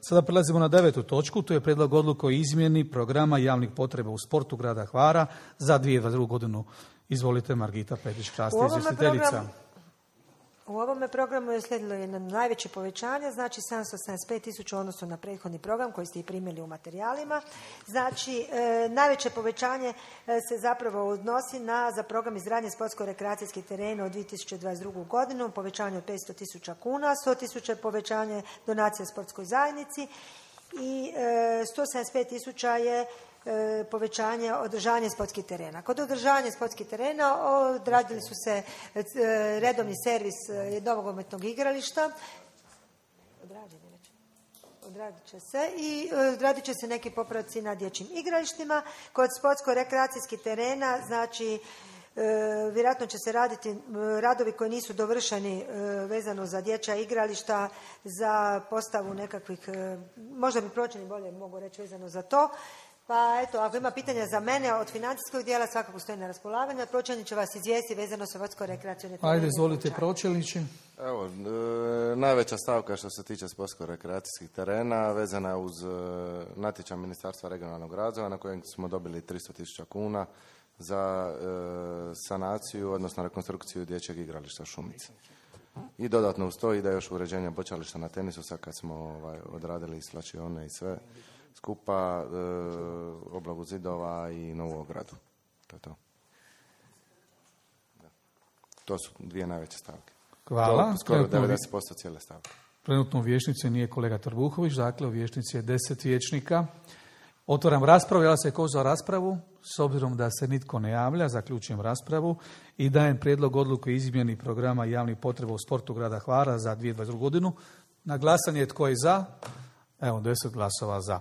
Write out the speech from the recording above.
Sada prelazimo na 9. točku, to je prijedlog odluke o izmjeni programa javnih potreba u sportu grada Hvara za 2022. godinu. Izvolite, Margita Petić-Krasti, izvjestiteljica. U ovome programu je slijedilo jedno najveće povećanje, znači 775.000 u odnosu na prethodni program koji ste i primili u materijalima. Znači, najveće povećanje se zapravo odnosi za program izgradnje sportsko-rekreacijskih terena u 2022. godinu, povećanje od 500.000 kuna, 100.000 povećanje donacija sportskoj zajednici i 175.000 je povećanje održanja sportskih terena. Kod održavanja sportskih terena odradili su se redovni servis nogometnog igrališta. Odradit će se i odradit će se neki popravci na dječjim igralištima. Kod sportsko-rekreacijskih terena, znači, vjerojatno će se raditi radovi koji nisu dovršeni vezano za dječja igrališta, za postavu nekakvih, možda bi pročelnik bolje mogu reći vezano za to. Pa eto, ako ima pitanja za mene od financijskog dijela, svakako stoji na raspolaganju. Pročelnik će vas izvijesti vezano sa sportsko-rekreacijone terene. Ajde, izvolite, pročelnici. Evo, najveća stavka što se tiče sportsko-rekreacijskih terena vezana je uz natječaj Ministarstva regionalnog razvoja na kojem smo dobili 300.000 kuna za sanaciju, odnosno rekonstrukciju dječjeg igrališta Šumice. I dodatno uz to ide još uređenje bočališta na tenisu, sad kad smo odradili i slačione i sve skupa, obnovu zidova i novu ogradu. To je to. Da. To su dvije najveće stavke. Hvala. Skoro 90% cijele stavke. Trenutno u vijećnici nije kolega Trbuhović, dakle u vijećnici je 10 vijećnika. Otvaram raspravu, javlja se ko za raspravu, s obzirom da se nitko ne javlja, zaključujem raspravu i dajem prijedlog odluke o izmjeni programa javnih potreba u sportu grada Hvara za 2022. godinu. Na glasanje tko je za? Evo, 10 glasova za.